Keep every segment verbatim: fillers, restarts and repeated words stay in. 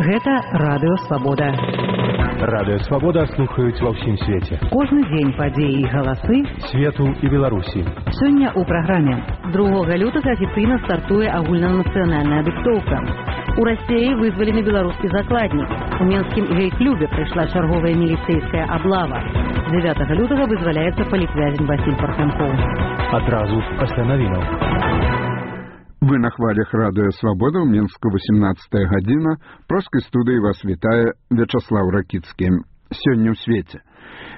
Гэта Радыё Свабода. Радыё Свабода слухаюць ва ўсім свеце. Кожны дзень падзеі і галасы свету і Беларусі. Сёння ў праграме. другога лютага афіцыйна стартуе агульнанацыянальная дыктоўка. У Расіі вызвалены беларускі закладнік. У Менскім гей-клубе прыйшла чарговая міліцэйская аблава. дзевятага лютага вызваляецца палітвязень Васіль Парханкоў. Адразу пасля навінаў. Вы на хвалях Радыё Свабода, ў Мінску восемнадцатая гадзіна. Проскай студыі вас вітае Вячаслаў Ракіцкі. Сёння ў свеце.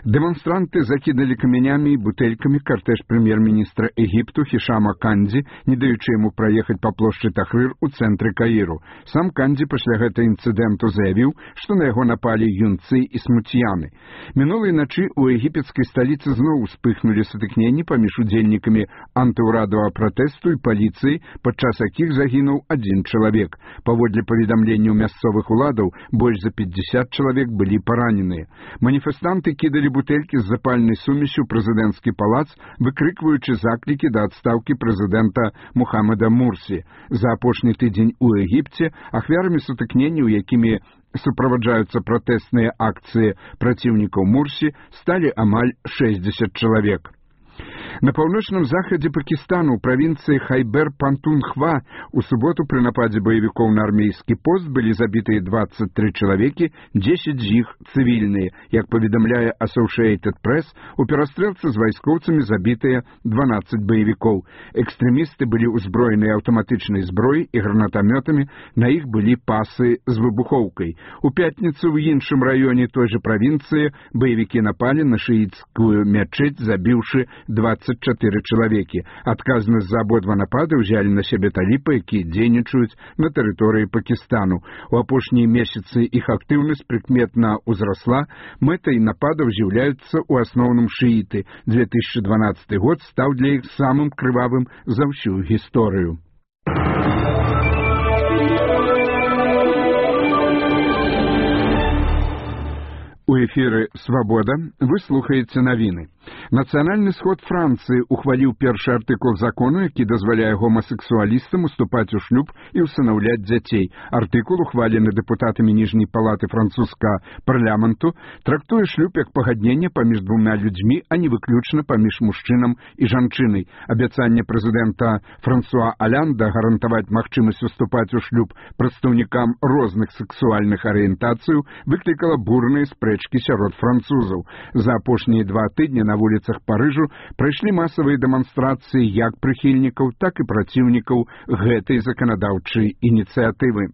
Дэманстранты закідалі камянямі і бутэлькамі картэж прэм'ер-міністра Егіпту Хішама Кандзі, не даючы яму праехаць па плошчы Тахрыр у цэнтры Каіру. Сам Кандзі пасля гэтага інцыдэнту заявіў, што на яго напалі юнцы і смуцьяны. Мінулай начы ў егіпецкай сталіцы зноў успыхнулі сутыкненні паміж удзельнікамі антыўрадавага пратэсту і паліцыі, падчас якіх загінуў адзін чалавек. Паводле паведамленняў мясцовых уладаў, больш за пятьдесят чалавек былі параненыя. Маніфестанты кідалі бутэлькі з запальнай сумесю прэзідэнцкі палац, выкрыкваючы заклікі да адстаўкі прэзідэнта Мухаммада Мурсі. За апошні тыдзень у Егіпце ахвярамі сутыкненняў, якімі суправаджаюцца пратэсныя акцыі праціўнікаў Мурсі, сталі амаль шэсцьдзесят чалавек. На паўночным захадзе Пакістану ў правінцыі Хайбер-Пантунхва у суботу пры нападзе баевікоў на армейскі пост былі забітыя двадцать три чалавекі, дзесяць з іх цывільныя. Як паведамляе Associated Press, у перастрэлцы з вайскоўцамі забітыя дванаццаць баевікоў. Экстрэмісты былі ўзброеныя аўтаматычнай зброяй і гранатамётамі, на іх былі пасы з выбухоўкай. У пятніцу ў іншым раёне той жа правінцыі баевікі напалі на шыіцкую мячэць, забіўшы двадцать чатыры чалавекі. Адказнасць за абодва напады ўзялі на сябе таліпы, якія дзейнічаюць на тэрыторыі Пакістану. У апошнія месяцы іх актыўнасць прыкметна ўзрасла. Мэтай нападаў з'яўляюцца ў асноўным шыіты. две тысячи дванадцаты год стаў для іх самым крывавым за ўсю гісторыю. У эфіры «Свабода» вы слухаеце навіны. Нацыянальны сход Францыі ухваліў першы артыкул закону, які дазваляе гомасексуалістам уступаць у шлюб і ўсынаўляць дзяцей. Артыкул, ухвалены дэпутатамі ніжняй палаты французскага парламенту, трактуе шлюб як пагадненне паміж двума людзьмі, а не выключна паміж мужчынам і жанчынай. Абяцанне прэзідэнта Франсуа Алянда гарантаваць магчымасць уступаць у шлюб прадстаўнікам розных сексуальных арыентацыяў выклікала бурныя спрэчкі сярод французаў. За апошнія два тыдні на вуліцах Парыжу прайшлі масавыя дэманстрацыі як прыхільнікаў, так і праціўнікаў гэтай заканадаўчай ініцыятывы.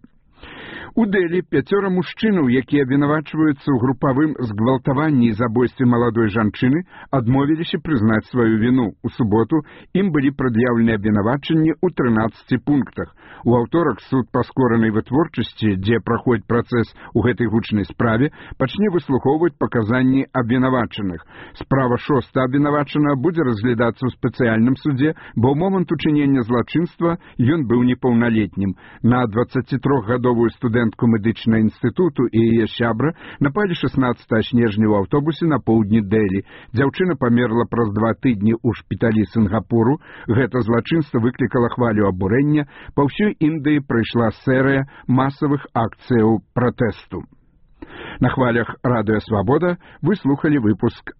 У Дэлі пяцёра мужчынаў, якія абвінавачваюцца ў групавым згвалтаванні і забойстве маладой жанчыны, адмовіліся прызнаць сваю віну. У суботу ім былі прад'яўлены абвінавачанні ў трынаццаці пунктах. У аўторак суд паскоранай вытворчасці, дзе праходзіць працэс у гэтай гучнай справе, пачне выслухоўваць паказанні абвінавачаных. Справа шоста абвінавачанага будзе разглядацца ў спецыяльным судзе, бо ў момант учынення злачынства ён быў непаўналетнім. На дваццацітрохгадовую студэнтку медычнага інстытуту і яе сябра напалі шаснаццатага снежня ў аўтобусе на поўдні Дэлі. Дзяўчына памерла праз два тыдні ў шпіталі Сінгапуру. Гэта злачынства выклікала хвалю абурэння. Па ўсёй Індыі прайшла серыя масавых акцыяў пратэсту. На хвалях Радыё Свабода вы слухалі выпуск